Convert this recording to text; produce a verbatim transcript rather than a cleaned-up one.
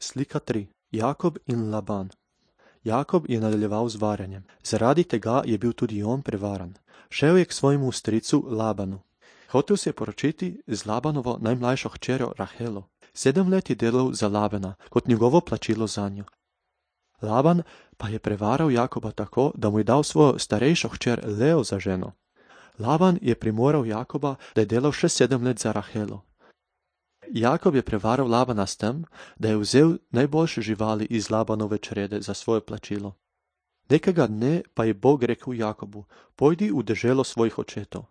Slika tri. Jakob in Laban. Jakob je nadaljeval z varjenjem. Zaradi tega je bil tudi on prevaran. Šel je k svojemu stricu Labanu. Hotel se je poročiti z Labanovo najmlajšo hčerjo Rahelo. Sedem let je delal za Labana kot njegovo plačilo zanjo. Laban pa je prevaral Jakoba tako, da mu je dal svojo starejšo hčer Leo za ženo. Laban je primoral Jakoba, da je delal še sedem let za Rahelo. Jakob je prevaral Labana s tem, da je vzel najboljše živali iz Labanove črede za svoje plačilo. Nekega dne pa je Bog rekel Jakobu: pojdi v deželo svojih očetov.